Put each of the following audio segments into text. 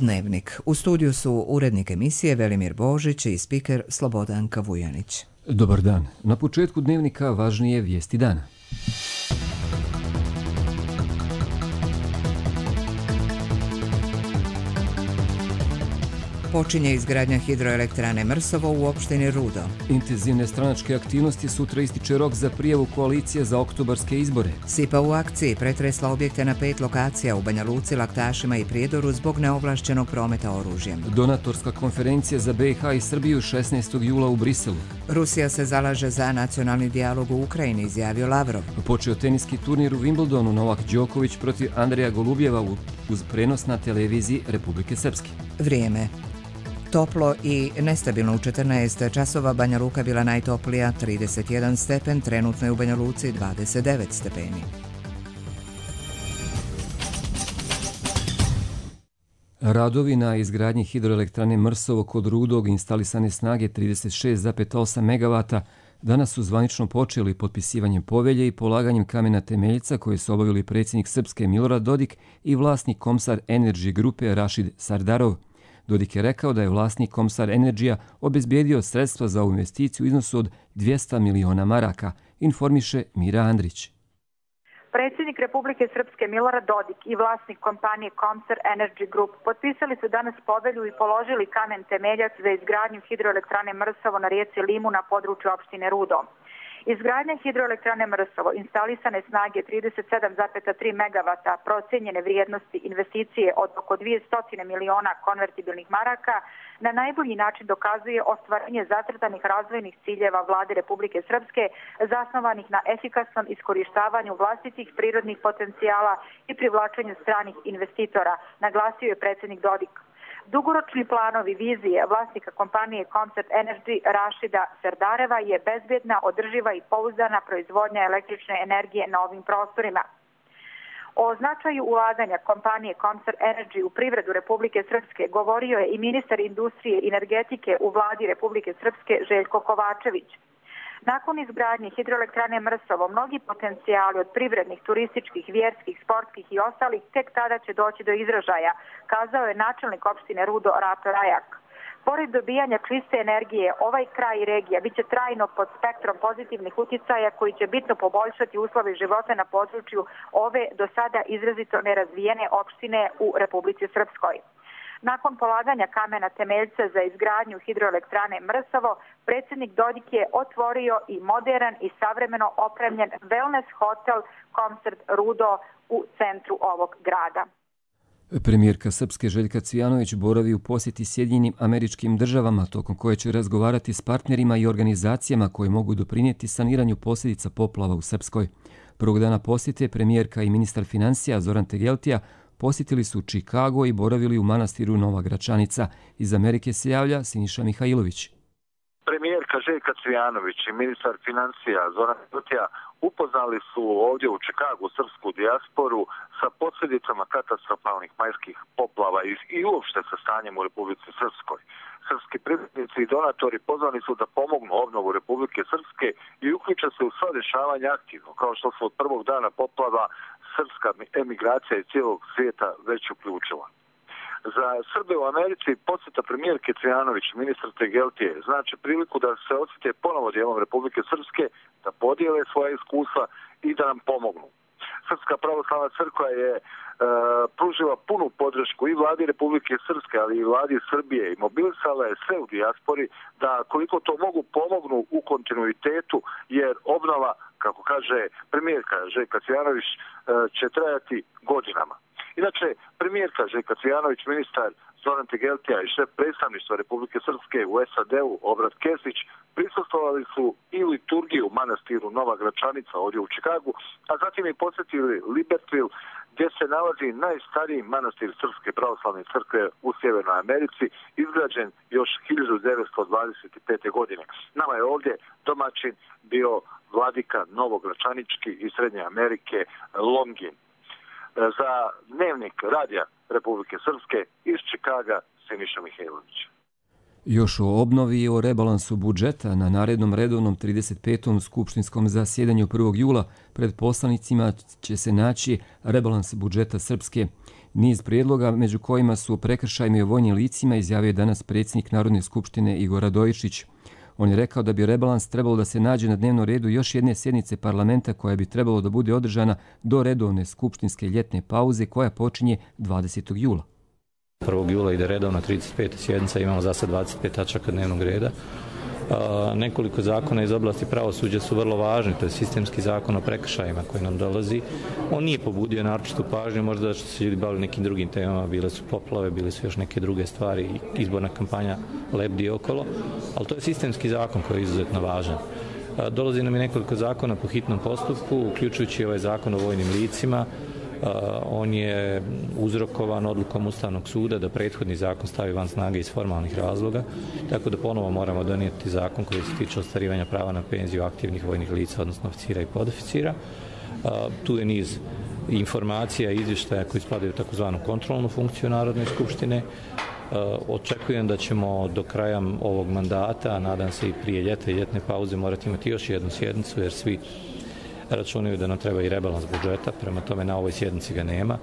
Dnevnik. U studiju su urednik emisije Velimir Božić i spiker Slobodanka Vujanić. Dobar dan. Na početku Dnevnika važnije vijesti dana. Počinje izgradnja hidroelektrane Mrsovo u opštini Rudo. Intenzivne stranačke aktivnosti, sutra ističe rok za prijavu koalicije za oktobarske izbore. SIPA u akciji pretresla objekte na 5 lokacija u Banja Luci, Laktašima i Prijedoru zbog neovlašćenog prometa oružjem. Donatorska konferencija za BiH i Srbiju 16. jula u Briselu. Rusija se zalaže za nacionalni dijalog u Ukrajini, izjavio Lavrov. Počeo teniski turnir u Wimbledonu, Novak Đoković protiv Andreja Golubjeva uz prenos na televiziji Republike Srpske. Vrijeme. Toplo i nestabilno u 14 časova, Banja Luka bila najtoplija 31 stepen, trenutno je u Banja Luci 29 stepeni. Radovi na izgradnji hidroelektrane Mrsovo kod Rudog instalisane snage 36,8 MW danas su zvanično počeli potpisivanjem povelje i polaganjem kamena temeljica koje su obavili predsjednik Srpske Milorad Dodik i vlasnik Komsar Energy grupe Rašid Sardarov. Dodik je rekao da je vlasnik Komsar Energy obezbijedio sredstva za ovu investiciju u iznosu od 200 miliona maraka, informiše Mira Andrić. Predsjednik Republike Srpske Milorad Dodik i vlasnik kompanije Komsar Energy Group potpisali su danas povelju i položili kamen temeljac za izgradnju hidroelektrane Mrsovo na rijeci Limu na području opštine Rudo. Izgradnja hidroelektrane Mrsovo, instalisane snage 37,3 MW, procijenjene vrijednosti investicije od oko 200 miliona konvertibilnih maraka, na najbolji način dokazuje ostvarenje zacrtanih razvojnih ciljeva Vlade Republike Srpske zasnovanih na efikasnom iskorištavanju vlastitih prirodnih potencijala i privlačenju stranih investitora, naglasio je predsjednik Dodik. Dugoročni planovi vizije vlasnika kompanije Komsar Energy Rašida Sardareva je bezbjedna, održiva i pouzdana proizvodnja električne energije na ovim prostorima. O značaju ulaganja kompanije Komsar Energy u privredu Republike Srpske govorio je i ministar industrije i energetike u vladi Republike Srpske Željko Kovačević. Nakon izgradnje hidroelektrane Mrsovo, mnogi potencijali od privrednih, turističkih, vjerskih, sportskih i ostalih tek tada će doći do izražaja, kazao je načelnik opštine Rudo Rato Rajak. Pored dobijanja čiste energije, ovaj kraj i regija biće trajno pod spektrom pozitivnih uticaja koji će bitno poboljšati uslove života na području ove do sada izrazito nerazvijene opštine u Republici Srpskoj. Nakon polaganja kamena temeljca za izgradnju hidroelektrane Mrsovo, predsjednik Dodik je otvorio i modern i savremeno opremljen wellness hotel Komsar Rudo u centru ovog grada. Premijerka Srpske Željka Cvijanović boravi u posjeti Sjedinjenim Američkim Državama, tokom koje će razgovarati s partnerima i organizacijama koje mogu doprinijeti saniranju posljedica poplava u Srpskoj. Prvog dana posjete premijerka i ministar financija Zoran Tegeltija posjetili su Čikago i boravili u manastiru Nova Gračanica. Iz Amerike se javlja Siniša Mihajlović. Premijerka Željka Cvijanović i ministar financija Zoran Tegeltija upoznali su ovdje u Čikagu srpsku dijasporu sa posljedicama katastrofalnih majskih poplava i uopšte sa stanjem u Republici Srpskoj. Srpski privrednici i donatori pozvani su da pomognu obnovu Republike Srpske i uključe se u sva dešavanja aktivno, kao što su od prvog dana poplava srpska emigracija iz cijelog svijeta već uključila. Za Srbe u Americi posjeta premijerke Cvijanović, ministar Tegeltije, znači priliku da se osjete ponovo dijelom Republike Srpske, da podijele svoja iskustva i da nam pomognu. Srpska pravoslavna crkva je pružila punu podršku i vladi Republike Srpske, ali i vladi Srbije i mobilisala je sve u dijaspori da koliko to mogu pomognu u kontinuitetu, jer obnova, kako kaže premijerka Željka Cvijanović, će trajati godinama. Inače, premijerka Željka Cvijanović, ministar Zoran Tegeltija i šef predstavništva Republike Srpske u SAD-u Obrat Kesić prisustvovali su i liturgiju u manastiru Nova Gračanica ovdje u Čikagu, a zatim i posjetili Libertville, gdje se nalazi najstariji manastir Srpske pravoslavne crkve u Sjevernoj Americi, izgrađen još 1925. godine. Nama je ovdje domaćin bio vladika Novogračanički iz Srednje Amerike Longin. Za Dnevnik radija Republike Srpske iz Čikaga, Siniša Mihajlović. Još o obnovi i o rebalansu budžeta na narednom redovnom 35. skupštinskom zasjedanju 1. jula pred poslanicima će se naći rebalans budžeta Srpske. Niz prijedloga, među kojima su prekršajima i vojnim licima, izjavio je danas predsjednik Narodne skupštine Igor Radojičić. On je rekao da bi rebalans trebalo da se nađe na dnevnom redu još jedne sjednice parlamenta koja bi trebalo da bude održana do redovne skupštinske ljetne pauze koja počinje 20. jula. 1. jula ide redovna 35. sjednica, imamo za sad 25 tačaka dnevnog reda. Nekoliko zakona iz oblasti pravosuđa su vrlo važni, to je sistemski zakon o prekršajima koji nam dolazi. On nije pobudio naročitu pažnju, možda da su se ljudi bavili nekim drugim temama, bile su poplave, bile su još neke druge stvari, izborna kampanja lebdi okolo, ali to je sistemski zakon koji je izuzetno važan. Dolazi nam i nekoliko zakona po hitnom postupku, uključujući ovaj zakon o vojnim licima. On je uzrokovan odlukom Ustavnog suda da prethodni zakon stavi van snage iz formalnih razloga, tako da ponovo moramo donijeti zakon koji se tiče ostvarivanja prava na penziju aktivnih vojnih lica, odnosno oficira i podoficira. Tu je niz informacija i izvještaja koji spadaju u takozvanu kontrolnu funkciju Narodne skupštine. Očekujem da ćemo do kraja ovog mandata, nadam se i prije ljeta i ljetne pauze, morati imati još jednu sjednicu, jer svi računaju da nam treba i rebalans budžeta, prema tome na ovoj sjednici ga nema.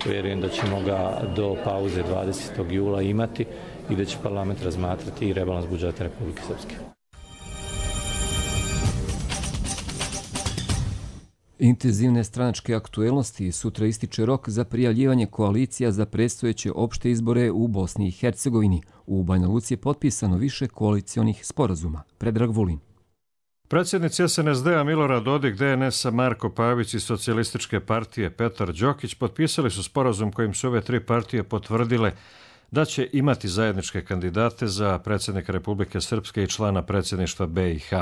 Vjerujem da ćemo ga do pauze 20. jula imati i da će parlament razmatrati i rebalans budžeta Republike Srpske. Intenzivne stranačke aktuelnosti, sutra ističe rok za prijavljivanje koalicija za predstojeće opšte izbore u Bosni i Hercegovini. U Banja Luci je potpisano više koalicionih sporazuma. Predrag Vulin. Predsjednici SNSD-a Milorad Dodik, DNS-a Marko Pavić i Socijalističke partije Petar Đokić potpisali su sporazum kojim su ove tri partije potvrdile da će imati zajedničke kandidate za predsjednika Republike Srpske i člana predsjedništva BiH.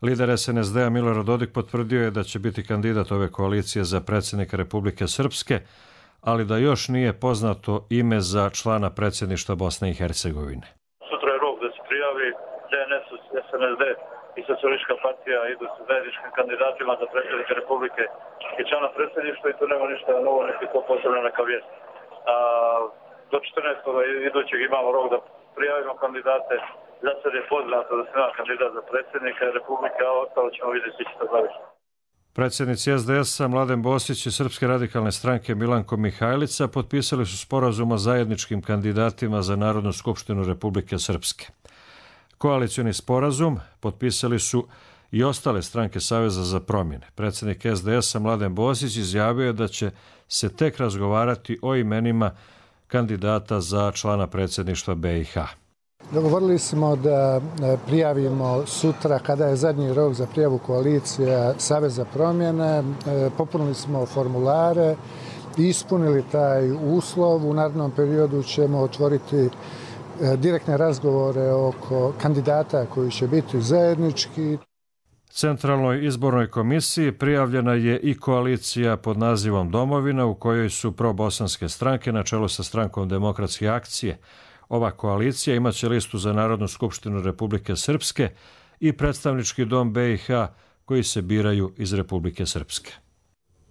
Lider SNSD-a Milorad Dodik potvrdio je da će biti kandidat ove koalicije za predsjednika Republike Srpske, ali da još nije poznato ime za člana predsjedništva Bosne i Hercegovine. Sutra je rok da se prijavi DNS, SNSD i Socijalistička partija idu sa zajedničkim kandidatima za predsjednika Republike i člana predsjedništva i tu nema ništa novo, niti to posebno neka vijest. Do 14. idućeg imamo rok da prijavimo kandidate. Za sad je poznato da se ima kandidat za predsjednika Republike, a ostalo ćemo vidjeti što završi. Predsjednici SDS-a Mladen Bosić i Srpske radikalne stranke Milanko Mihajlica potpisali su sporazum o zajedničkim kandidatima za Narodnu skupštinu Republike Srpske. Koalicioni sporazum potpisali su i ostale stranke Saveza za promjene. Predsjednik SDS-a Mladen Bosić izjavio je da će se tek razgovarati o imenima kandidata za člana predsjedništva BiH. Dogovorili smo da prijavimo sutra, kada je zadnji rok za prijavu koalicija Savez za promjene. Popunili smo formulare, ispunili taj uslov. U narednom periodu ćemo otvoriti direktne razgovore oko kandidata koji će biti zajednički. Centralnoj izbornoj komisiji prijavljena je i koalicija pod nazivom Domovina, u kojoj su probosanske stranke na čelu sa Strankom demokratske akcije. Ova koalicija imaće listu za Narodnu skupštinu Republike Srpske i predstavnički dom BiH koji se biraju iz Republike Srpske.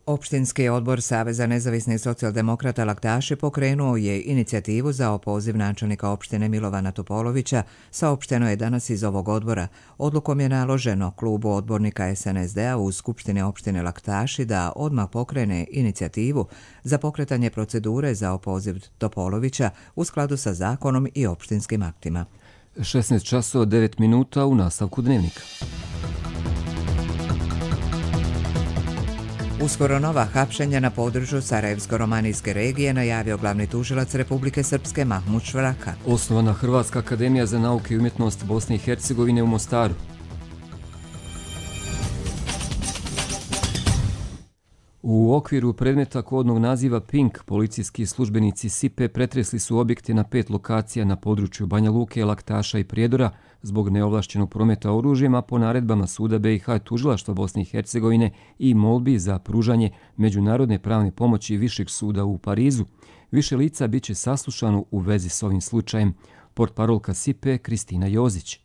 Opštinski odbor Saveza nezavisnih socijaldemokrata Laktaši pokrenuo je inicijativu za opoziv načelnika opštine Milovana Topolovića, saopšteno je danas iz ovog odbora. Odlukom je naloženo klubu odbornika SNSD-a u Skupštini opštine Laktaši da odmah pokrene inicijativu za pokretanje procedure za opoziv Topolovića u skladu sa zakonom i opštinskim aktima. 16 časova 9 minuta u nastavku dnevnika. Uskoro nova hapšenja na području Sarajevsko-romanijske regije najavio glavni tužilac Republike Srpske Mahmud Švraka. Osnovana Hrvatska akademija za nauke i umjetnost Bosne i Hercegovine u Mostaru. U okviru predmeta kodnog naziva Pink, policijski službenici SIPE pretresli su objekte na 5 lokacija na području Banja Luke, Laktaša i Prijedora zbog neovlašćenog prometa oružjem, a po naredbama Suda BiH tužilaštva Bosne i Hercegovine i molbi za pružanje međunarodne pravne pomoći Višeg suda u Parizu. Više lica biće saslušano u vezi s ovim slučajem. Portparolka SIPE Kristina Jozić.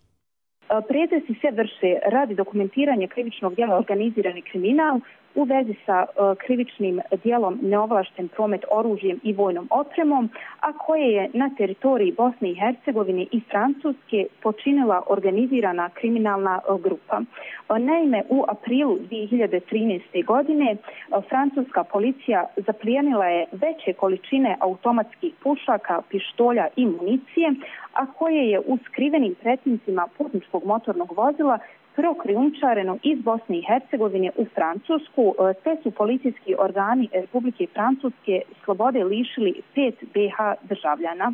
Pretresi se vrše radi dokumentiranja krivičnog djela organizirani kriminal u vezi sa krivičnim djelom neovlašten promet oružjem i vojnom opremom, a koje je na teritoriji Bosne i Hercegovine i Francuske počinila organizirana kriminalna grupa. Naime, u aprilu 2013. godine francuska policija zaplijenila je veće količine automatskih pušaka, pištolja i municije, a koje je u skrivenim pretincima putničkog motornog vozila prokrijumčareno iz Bosne i Hercegovine u Francusku, te su policijski organi Republike Francuske slobode lišili 5 BH državljana.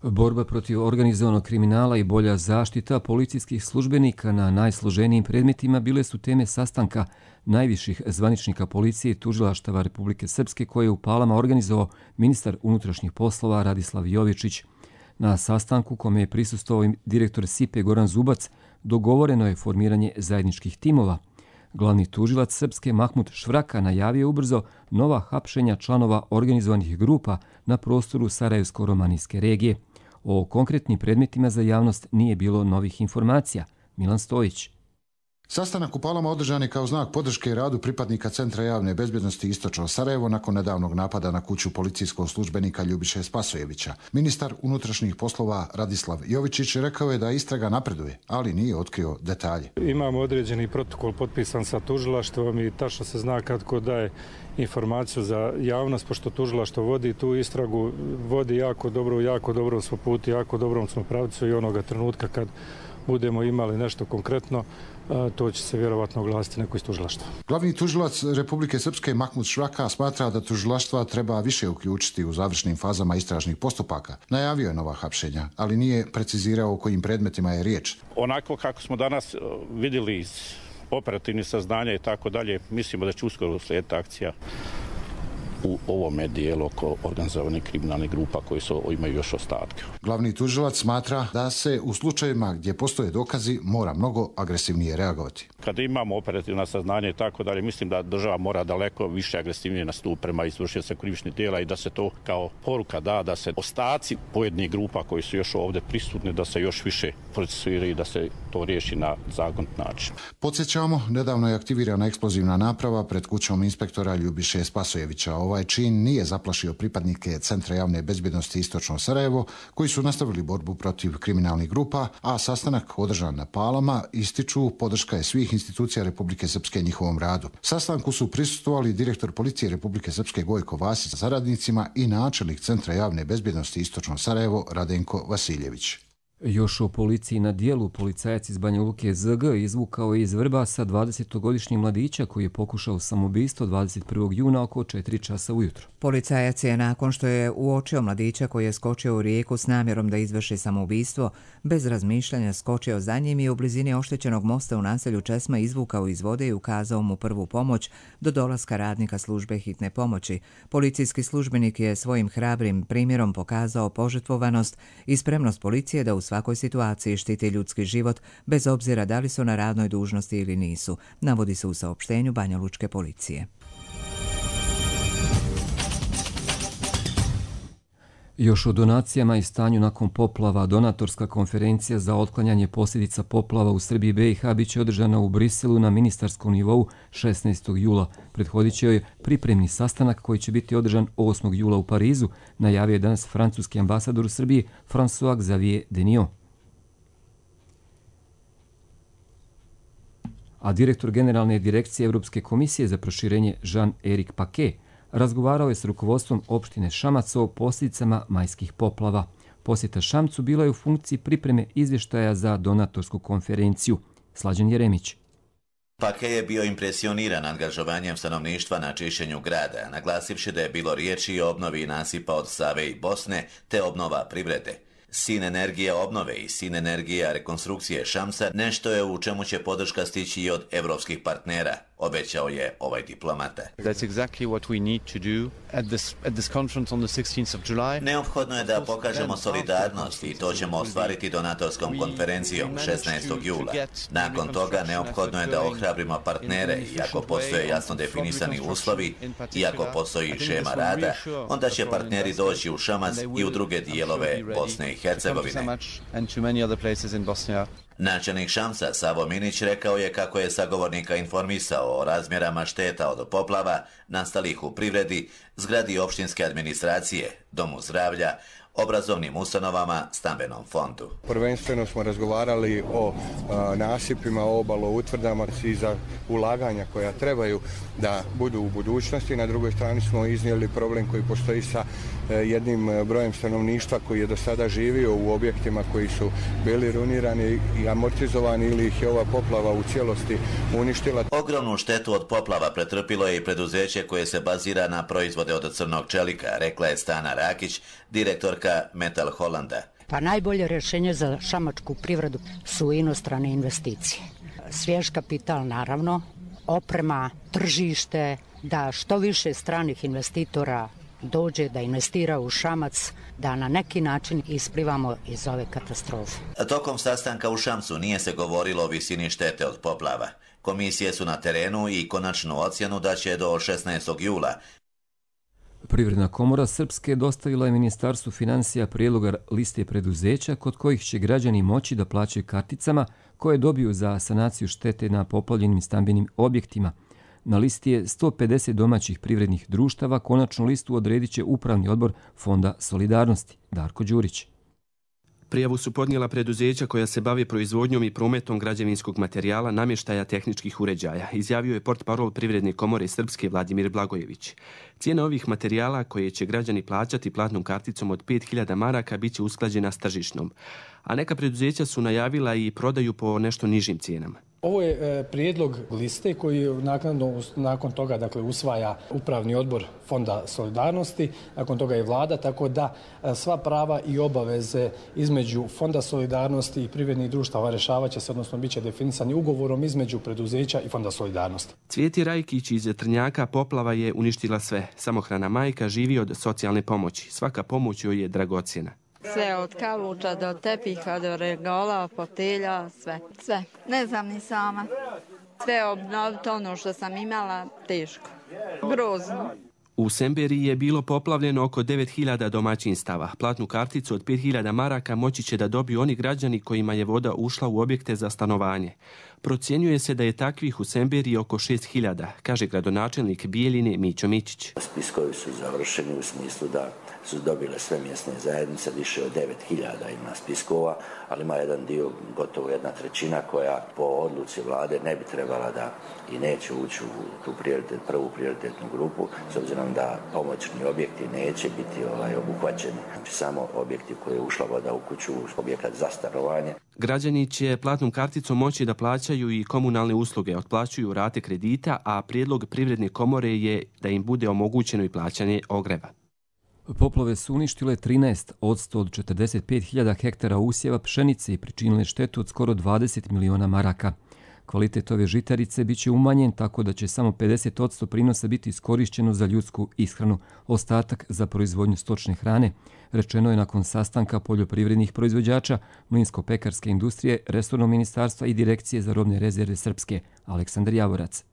Borba protiv organizovanog kriminala i bolja zaštita policijskih službenika na najsloženijim predmetima bile su teme sastanka najviših zvaničnika policije i tužilaštava Republike Srpske koje je u Palama organizovao ministar unutrašnjih poslova Radislav Jovičić. Na sastanku kome je prisustvovao direktor SIPE Goran Zubac dogovoreno je formiranje zajedničkih timova. Glavni tužilac Srpske Mahmud Švraka najavio ubrzo nova hapšenja članova organizovanih grupa na prostoru Sarajevsko-romanijske regije. O konkretnim predmetima za javnost nije bilo novih informacija. Milan Stojić. Sastanak u Palama održan je kao znak podrške radu pripadnika Centra javne bezbjednosti Istočno Sarajevo nakon nedavnog napada na kuću policijskog službenika Ljubiše Spasojevića. Ministar unutrašnjih poslova Radislav Jovičić rekao je da istraga napreduje, ali nije otkrio detalje. Imamo određeni protokol potpisan sa tužilaštvom i tačno se zna kako daje informaciju za javnost, pošto tužilaštvo vodi tu istragu, vodi jako dobro smo puti, jako dobrom smo pravcu i onoga trenutka kad budemo imali nešto konkretno, to će se vjerovatno oglasiti neko iz tužilaštva. Glavni tužilac Republike Srpske Mahmud Švraka smatra da tužilaštva treba više uključiti u završnim fazama istražnih postupaka. Najavio je nova hapšenja, ali nije precizirao o kojim predmetima je riječ. Onako kako smo danas vidjeli iz operativnih saznanja i tako dalje, mislimo da će uskoro slijediti akcija u ovome dijelu oko organizovanih kriminalnih grupa koji imaju još ostatke. Glavni tužilac smatra da se u slučajevima gdje postoje dokazi mora mnogo agresivnije reagovati. Kada imamo operativna saznanja i tako dalje, mislim da država mora daleko više agresivnije nastupiti prema izvršioca krivičnih djela i da se to kao poruka da se ostaci pojedinih grupa koji su još ovdje prisutni, da se još više procesuiraju i da se to riješi na zakonit način. Podsjećamo, nedavno je aktivirana eksplozivna naprava pred kućom inspektora Ljubiše Spasojevića. Ovaj čin nije zaplašio pripadnike Centra javne bezbjednosti Istočno Sarajevo, koji su nastavili borbu protiv kriminalnih grupa, a sastanak održan na Palama ističu podrška je svih institucija Republike Srpske njihovom radu. Sastanku su prisustvovali direktor policije Republike Srpske Gojko Vasić sa saradnicima i načelnik Centra javne bezbjednosti Istočno Sarajevo Radenko Vasiljević. Još o policiji na dijelu, policajac iz Banja Luke ZG izvukao je iz Vrbasa 20-godišnjeg mladića koji je pokušao samoubistvo 21. juna oko 4 časa ujutro. Policajac je nakon što je uočio mladića koji je skočio u rijeku s namjerom da izvrši samoubistvo, bez razmišljanja skočio za njim i u blizini oštećenog mosta u naselju Česma izvukao iz vode i ukazao mu prvu pomoć do dolaska radnika službe hitne pomoći. Policijski službenik je svojim hrabrim primjerom pokazao požrtvovanost i spremnost policije da u svakoj situaciji štiti ljudski život, bez obzira da li su na radnoj dužnosti ili nisu, navodi se u saopštenju banjalučke policije. Još o donacijama i stanju nakon poplava, donatorska konferencija za otklanjanje posljedica poplava u Srbiji i BiH biće održana u Briselu na ministarskom nivou 16. jula. Prethodit će joj pripremni sastanak koji će biti održan 8. jula u Parizu, najavio je danas francuski ambasador u Srbiji François Xavier Deniot. A direktor Generalne direkcije Europske komisije za proširenje Jean-Éric Paquet razgovarao je s rukovodstvom opštine Šamac o posljedicama majskih poplava. Posjeta Šamcu bila je u funkciji pripreme izvještaja za donatorsku konferenciju. Slađan Jeremić. Paquet je bio impresioniran angažovanjem stanovništva na čišćenju grada, naglasivši da je bilo riječi o obnovi nasipa od Save i Bosne te obnova privrede. Sin energija obnove i sin energija rekonstrukcije Šamsa nešto je u čemu će podrška stići i od evropskih partnera, obećao je ovaj diplomata. Neophodno je da pokažemo solidarnost i to ćemo ostvariti donatorskom konferencijom 16. jula. Nakon toga neophodno je da ohrabrimo partnere i ako postoje jasno definisani uslovi i ako postoji šema rada, onda će partneri doći u Šamac i u druge dijelove Bosne i Hercegovine. Načelnik Šamca Savo Minić rekao je kako je sagovornika informisao o razmjerama šteta od poplava nastalih u privredi, zgradi opštinske administracije, domu zdravlja, obrazovnim ustanovama, stambenom fondu. Prvenstveno smo razgovarali o nasipima, obalo, utvrdama i za ulaganja koja trebaju da budu u budućnosti. Na drugoj strani smo iznijeli problem koji postoji sa jednim brojem stanovništva koji je do sada živio u objektima koji su bili runirani i amortizovani ili ih je ova poplava u cijelosti uništila. Ogromnu štetu od poplava pretrpilo je i preduzeće koje se bazira na proizvode od crnog čelika, rekla je Stana Rakić, direktorka Metal Hollanda. Pa najbolje rješenje za šamačku privredu su inostrane investicije. Svjež kapital naravno, oprema, tržište, da što više stranih investitora dođe da investira u Šamac, da na neki način isplivamo iz ove katastrofe. Tokom sastanka u Šamcu nije se govorilo o visini štete od poplava. Komisije su na terenu i konačnu ocjenu da će do 16. jula. Privredna komora Srpske dostavila je Ministarstvu financija prijedloga liste preduzeća kod kojih će građani moći da plaćaju karticama koje dobiju za sanaciju štete na poplavljenim stambenim objektima. Na listi je 150 domaćih privrednih društava, konačnu listu odredit će Upravni odbor Fonda Solidarnosti. Darko Đurić. Prijavu su podnijela preduzeća koja se bave proizvodnjom i prometom građevinskog materijala, namještaja, tehničkih uređaja, izjavio je portparol Privredne komore Srpske Vladimir Blagojević. Cijena ovih materijala koje će građani plaćati platnom karticom od 5000 maraka bit će usklađena s tržišnom, a neka preduzeća su najavila i prodaju po nešto nižim cijenama. Ovo je prijedlog liste koji nakon toga usvaja Upravni odbor Fonda Solidarnosti, nakon toga i Vlada, tako da sva prava i obaveze između Fonda Solidarnosti i privrednih društava rješavat će se, odnosno bit će definisani ugovorom između preduzeća i Fonda Solidarnosti. Cvjeti Rajkić iz Trnjaka poplava je uništila sve. Samohrana majka živi od socijalne pomoći. Svaka pomoć joj je dragocjena. Sve od kaluča do tepiha, do regola, fotelja, sve. Ne znam ni sama. Sve obnoviti ono što sam imala, teško. Grozno. U Semberiji je bilo poplavljeno oko 9000 domaćinstava. Platnu karticu od 5000 maraka moći će da dobiju oni građani kojima je voda ušla u objekte za stanovanje. Procjenjuje se da je takvih u Semberiji oko 6000, kaže gradonačelnik Bijeljine Mićo Mićić. Spiskovi su završeni u smislu da su dobile sve mjesne zajednice, više od 9000 ima spiskova, ali ima jedan dio, gotovo 1/3 koja po odluci vlade ne bi trebala da i neće ući u tu prvu prioritetnu grupu, s obzirom da pomoćni objekti neće biti obuhvaćeni. Znači samo objekti koje je ušla voda u kuću, objekat za stanovanje. Građani će platnom karticom moći da plaćaju i komunalne usluge, otplaćuju rate kredita, a prijedlog Privredne komore je da im bude omogućeno i plaćanje ogreva. Poplave su uništile 13% od 45.000 hektara usjeva pšenice i pričinile štetu od skoro 20 miliona maraka. Kvalitet ove žitarice bit će umanjen tako da će samo 50% prinosa biti iskorišćeno za ljudsku ishranu, ostatak za proizvodnju stočne hrane, rečeno je nakon sastanka poljoprivrednih proizvođača, mlinsko-pekarske industrije, resornog ministarstva i direkcije za robne rezerve Srpske. Aleksandar Javorac.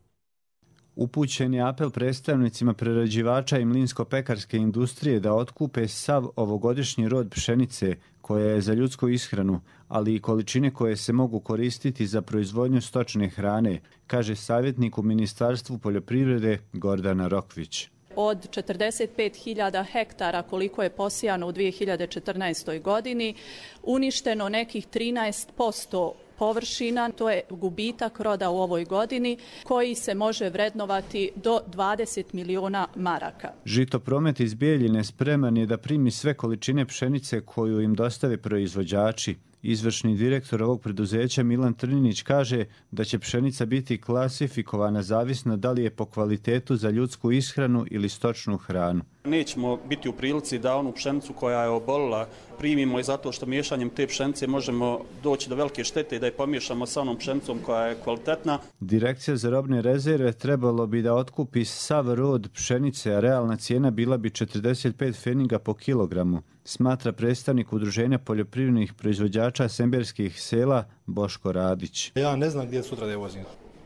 Upućen je apel predstavnicima prerađivača i mlinsko-pekarske industrije da otkupe sav ovogodišnji rod pšenice koja je za ljudsku ishranu, ali i količine koje se mogu koristiti za proizvodnju stočne hrane, kaže savjetnik u Ministarstvu poljoprivrede Gordana Rokvić. Od 45.000 hektara koliko je posijano u 2014. godini, uništeno nekih 13% površina, to je gubitak roda u ovoj godini koji se može vrednovati do 20 miliona maraka. Žitopromet iz Bijeljine spreman je da primi sve količine pšenice koju im dostave proizvođači. Izvršni direktor ovog preduzeća Milan Trninić kaže da će pšenica biti klasifikovana zavisno da li je po kvalitetu za ljudsku ishranu ili stočnu hranu. Nećemo biti u prilici da onu pšenicu koja je obolila primimo i zato što miješanjem te pšenice možemo doći do velike štete i da je pomiješamo sa onom pšenicom koja je kvalitetna. Direkcija za robne rezerve trebalo bi da otkupi sav rod pšenice, a realna cijena bila bi 45 pfeniga po kilogramu, smatra predstavnik Udruženja poljoprivrednih proizvođača semberskih sela Boško Radić. Ja ne znam gdje sutra da je vozim.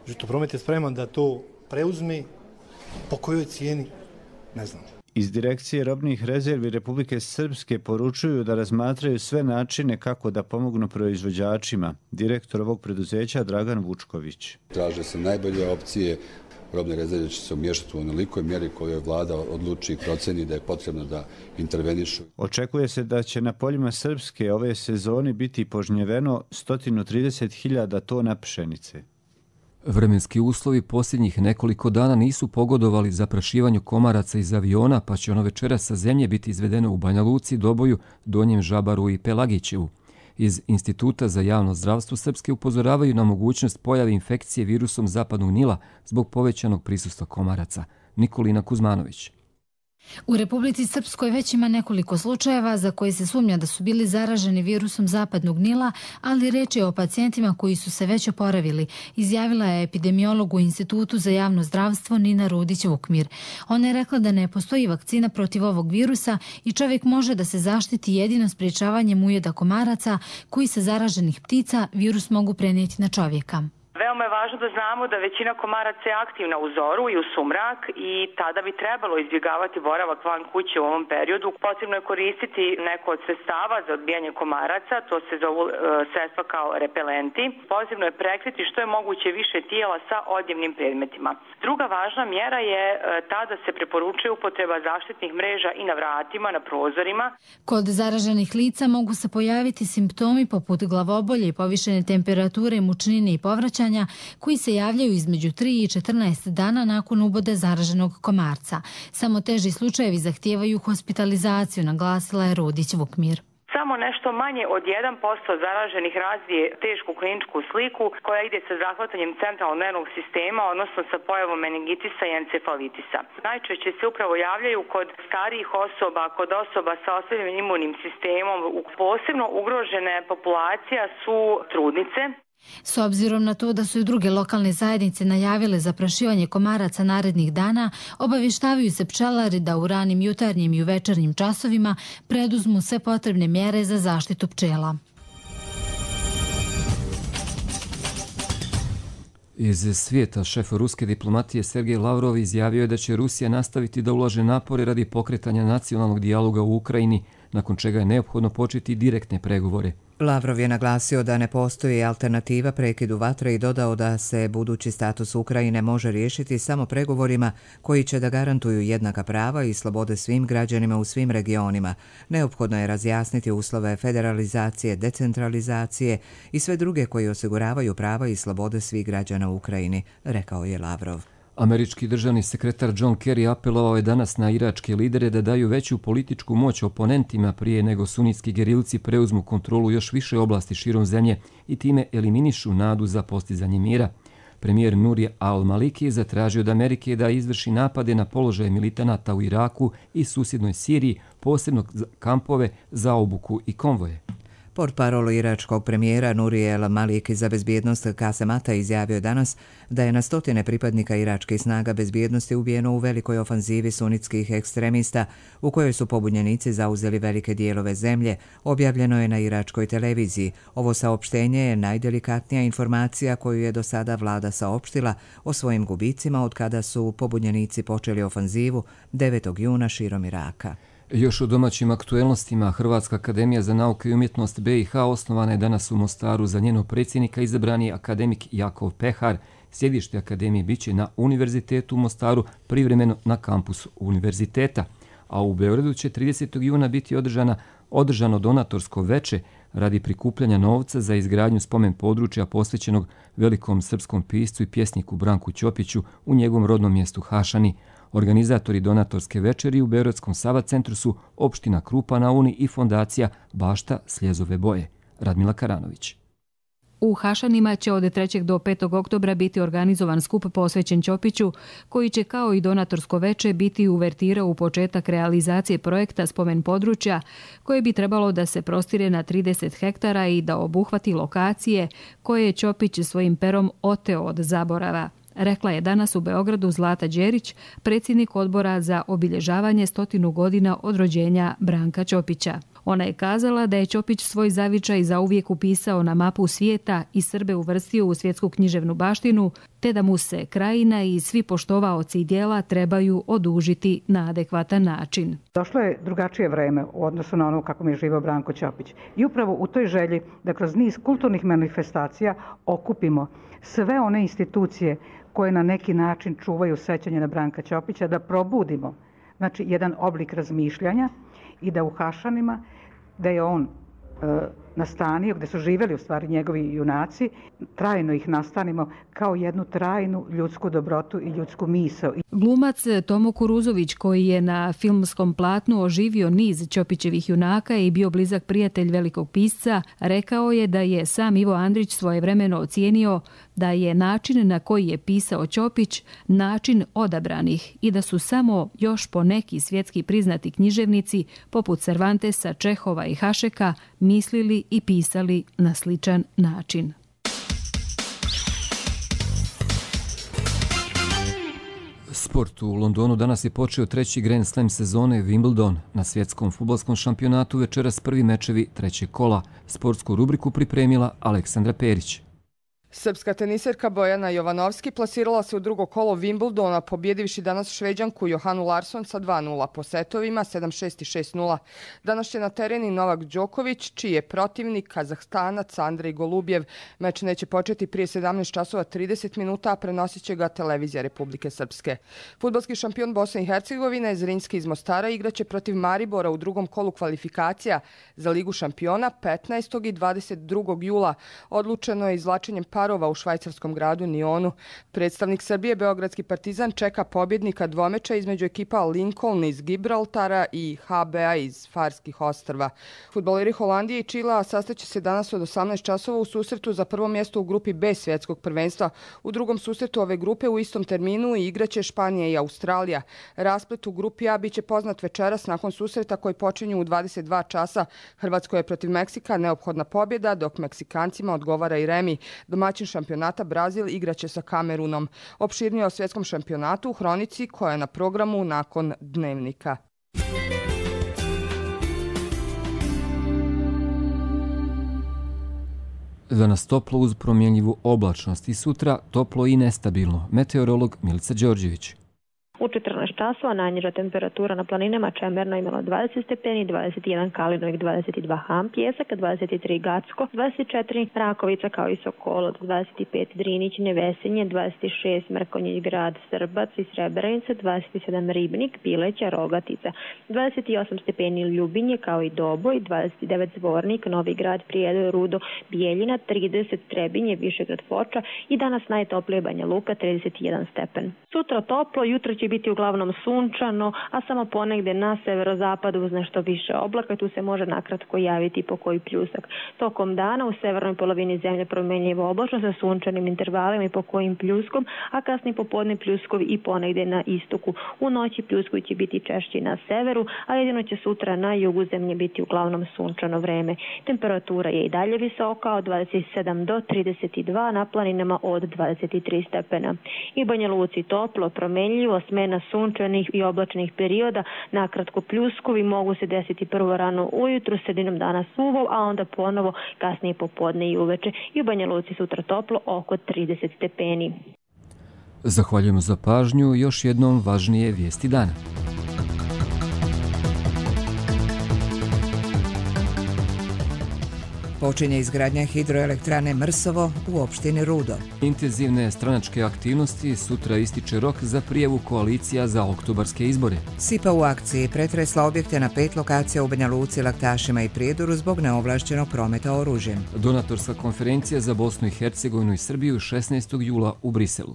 Žitopromet je spreman da to preuzme, po kojoj cijeni, ne znam. Iz Direkcije robnih rezervi Republike Srpske poručuju da razmatraju sve načine kako da pomognu proizvođačima. Direktor ovog preduzeća Dragan Vučković. Traže se najbolje opcije. Robne rezerve će se umješati u onolikoj mjeri kojoj vlada odluči i proceni da je potrebno da intervenišu. Očekuje se da će na poljima Srpske ove sezoni biti požnjeveno 130.000 tona pšenice. Vremenski uslovi posljednjih nekoliko dana nisu pogodovali zaprašivanju komaraca iz aviona, pa će ono večera sa zemlje biti izvedeno u Banja Luci, Doboju, Donjem Žabaru i Pelagićevu. Iz Instituta za javno zdravstvo Srpske upozoravaju na mogućnost pojave infekcije virusom zapadnog Nila zbog povećanog prisustva komaraca. Nikolina Kuzmanović. U Republici Srpskoj već ima nekoliko slučajeva za koje se sumnja da su bili zaraženi virusom zapadnog Nila, ali reč je o pacijentima koji su se već oporavili, izjavila je epidemiolog u Institutu za javno zdravstvo Nina Rudić-Vukmir. Ona je rekla da ne postoji vakcina protiv ovog virusa i čovjek može da se zaštiti jedino sprječavanjem ujeda komaraca koji sa zaraženih ptica virus mogu prenijeti na čovjeka. Veoma je važno da znamo da većina komaraca je aktivna u zoru i u sumrak i tada bi trebalo izbjegavati boravak van kuće u ovom periodu. Potrebno je koristiti neko od sredstava za odbijanje komaraca, to se zovu sredstva kao repelenti. Potrebno je prekriti što je moguće više tijela sa odjevnim predmetima. Druga važna mjera je ta da se preporučuje upotreba zaštitnih mreža i na vratima, na prozorima. Kod zaraženih lica mogu se pojaviti simptomi poput glavobolje i povišene temperature, mučnine i povraćanja, koji se javljaju između 3 i 14 dana nakon ubode zaraženog komarca. Samo teži slučajevi zahtijevaju hospitalizaciju, naglasila je Rudić-Vukmir. Samo nešto manje od 1% zaraženih razvije tešku kliničku sliku koja ide sa zahvatanjem centralnog nervnog sistema, odnosno sa pojavom meningitisa i encefalitisa. Najčešće se upravo javljaju kod starijih osoba, kod osoba sa oslabjenim imunim sistemom. Posebno ugrožene populacija su trudnice. S obzirom na to da su i druge lokalne zajednice najavile zaprašivanje komaraca narednih dana, obavještavaju se pčelari da u ranim jutarnjim i u večernjim časovima preduzmu sve potrebne mjere za zaštitu pčela. Iz svijeta šef ruske diplomatije Sergej Lavrov izjavio je da će Rusija nastaviti da ulaže napore radi pokretanja nacionalnog dijaloga u Ukrajini, nakon čega je neophodno početi direktne pregovore. Lavrov je naglasio da ne postoji alternativa prekidu vatre i dodao da se budući status Ukrajine može riješiti samo pregovorima koji će da garantuju jednaka prava i slobode svim građanima u svim regionima. Neophodno je razjasniti uslove federalizacije, decentralizacije i sve druge koji osiguravaju prava i slobode svih građana u Ukrajini, rekao je Lavrov. Američki državni sekretar John Kerry apelovao je danas na iračke lidere da daju veću političku moć oponentima prije nego sunitski gerilci preuzmu kontrolu još više oblasti širom zemlje i time eliminišu nadu za postizanje mira. Premijer Nuri al-Maliki je zatražio od Amerike da izvrši napade na položaje militanata u Iraku i susjednoj Siriji, posebno kampove za obuku i konvoje. Portparol iračkog premijera Nuri al-Maliki za bezbjednost Kasem Ata izjavio danas da je na stotine pripadnika iračkih snaga bezbjednosti ubijeno u velikoj ofanzivi sunitskih ekstremista u kojoj su pobunjenici zauzeli velike dijelove zemlje, objavljeno je na iračkoj televiziji. Ovo saopštenje je najdelikatnija informacija koju je do sada vlada saopštila o svojim gubicima od kada su pobunjenici počeli ofanzivu 9. juna širom Iraka. Još u domaćim aktuelnostima, Hrvatska akademija za nauke i umjetnost BiH osnovana je danas u Mostaru. Za njenog predsjednika izabran je akademik Jakov Pehar. Sjedište akademije biće na Univerzitetu u Mostaru, privremeno na kampusu univerziteta. A u Beogradu će 30. juna biti održano donatorsko veče radi prikupljanja novca za izgradnju spomen područja posvećenog velikom srpskom piscu i pjesniku Branku Ćopiću u njegovom rodnom mjestu Hašani. Organizatori donatorske večeri u Beogradskom Sava centru su opština Krupa na Uni i fondacija Bašta Sljezove boje. Radmila Karanović. U Hašanima će od 3. do 5. oktobra biti organizovan skup posvećen Ćopiću, koji će kao i donatorsko veče biti uvertira u početak realizacije projekta spomen područja, koje bi trebalo da se prostire na 30 hektara i da obuhvati lokacije koje je Ćopić svojim perom oteo od zaborava. Rekla je danas u Beogradu Zlata Đerić, predsjednik odbora za obilježavanje 100 godina od rođenja Branka Ćopića. Ona je kazala da je Ćopić svoj zavičaj zauvijek upisao na mapu svijeta i Srbe uvrstio u svjetsku književnu baštinu, te da mu se krajina i svi poštovaoci djela trebaju odužiti na adekvatan način. Došlo je drugačije vreme u odnosu na ono kako mi je živio Branko Ćopić. I upravo u toj želji da kroz niz kulturnih manifestacija okupimo sve one institucije koje na neki način čuvaju sećanje na Branka Ćopića, da probudimo jedan oblik razmišljanja i da u Hašanima, da je on nastanio, gde su živjeli u stvari njegovi junaci, trajno ih nastanimo kao jednu trajnu ljudsku dobrotu i ljudsku misao. Glumac Tomo Kuruzović, koji je na filmskom platnu oživio niz Ćopićevih junaka i bio blizak prijatelj velikog pisca, rekao je da je sam Ivo Andrić svojevremeno ocijenio da je način na koji je pisao Ćopić način odabranih i da su samo još poneki svjetski priznati književnici poput Cervantesa, Čehova i Hašeka mislili i pisali na sličan način. Sport u Londonu danas je počeo treći Grand Slam sezone Wimbledon. Na svjetskom fudbalskom šampionatu večeras prvi mečevi trećeg kola. Sportsku rubriku pripremila Aleksandra Perić. Srpska teniserka Bojana Jovanovski plasirala se u drugo kolo Wimbledona, pobjedivši danas Šveđanku Johanu Larsson sa 2-0 po setovima 7-6 i 6-0. Danas će na tereni Novak Đoković, čiji je protivnik Kazahstanac Andrej Golubjev. Meč neće početi prije 17 časova 30 minuta, a prenosit će ga televizija Republike Srpske. Fudbalski šampion Bosne i Hercegovine Zrinski iz Mostara igraće protiv Maribora u drugom kolu kvalifikacija za Ligu šampiona 15. i 22. jula. Odlučeno je izvlačenjem parova u švajcarskom gradu Nionu. Predstavnik Srbije, beogradski Partizan, čeka pobjednika dvomeča između ekipa Lincoln iz Gibraltara i HBA iz Farskih ostrva. Fudbaleri Holandije i Čilea sastaće se danas od 18 časova u susretu za prvo mjesto u grupi B svjetskog prvenstva. U drugom susretu ove grupe u istom terminu igraće Španija i Australija. Rasplet u grupi A biće poznat večeras nakon susreta koji počinju u 22 časa. Hrvatskoj je protiv Meksika neophodna pobjeda, dok Meksikancima odgovara i remi. Domaćin šampionata Brazil igraće sa Kamerunom. Opširnije o svjetskom šampionatu u hronici koja je na programu nakon dnevnika. Danas toplo uz promjenjivu oblačnost i sutra toplo i nestabilno. Meteorolog Milica Đorđević. U 14 časova najniža temperatura na planinama Čemerno imala 20 stepeni, 21 Kalinovik, 22 Ham, Pjesak, 23 Gacko, 24 Rakovica kao i Sokolo, 25 Drinić, Nevesenje, 26 Mrkonjić Grad, Srbac i Srebrenica, 27 Ribnik, Pileća, Rogatica, 28 stepeni Ljubinje kao i Doboj, 29 Zvornik, Novi Grad, Prijedor, Rudo, Bijeljina, 30 Trebinje, Višegrad, Foča i danas najtoplije Banja Luka, 31 stepen. Sutra toplo, jutro će biti uglavnom sunčano, a samo ponegde na severozapadu uz nešto više oblaka, tu se može nakratko javiti po koji pljusak. Tokom dana u severnoj polovini zemlje promjenjivo oblačno sa sunčanim intervalima i po kojim pljuskom, a kasni popodne pljuskovi i ponegde na istoku. U noći pljuskovi će biti češći na severu, a jedino će sutra na jugu zemlje biti uglavnom sunčano vreme. Temperatura je i dalje visoka od 27 do 32, na planinama od 23 stepena. I Banja Luci toplo, promjenjivo, smena sunčanih i oblačnih perioda, nakratko pljuskovi mogu se desiti prvo rano ujutru, sredinom dana suvo, a onda ponovo kasnije popodne i uveče. I u Banja Luci sutra toplo oko 30 stepeni. Zahvaljujemo za pažnju. Još jednom važnije vijesti dana. Počinje izgradnja hidroelektrane Mrsovo u opštini Rudo. Intenzivne stranačke aktivnosti, sutra ističe rok za prijavu koalicija za oktobarske izbore. Sipa u akciji pretresla objekte na 5 lokacija u Banja Luci, Laktašima i Prijedoru zbog neovlašćenog prometa oružjem. Donatorska konferencija za Bosnu i Hercegovinu i Srbiju 16. jula u Briselu.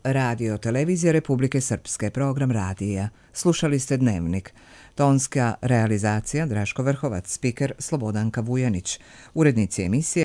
Radio televizija Republike Srpske, program radija. Slušali ste Dnevnik. Tonska realizacija Draško Vrhovac, spiker Slobodanka Vujanić, urednici emisije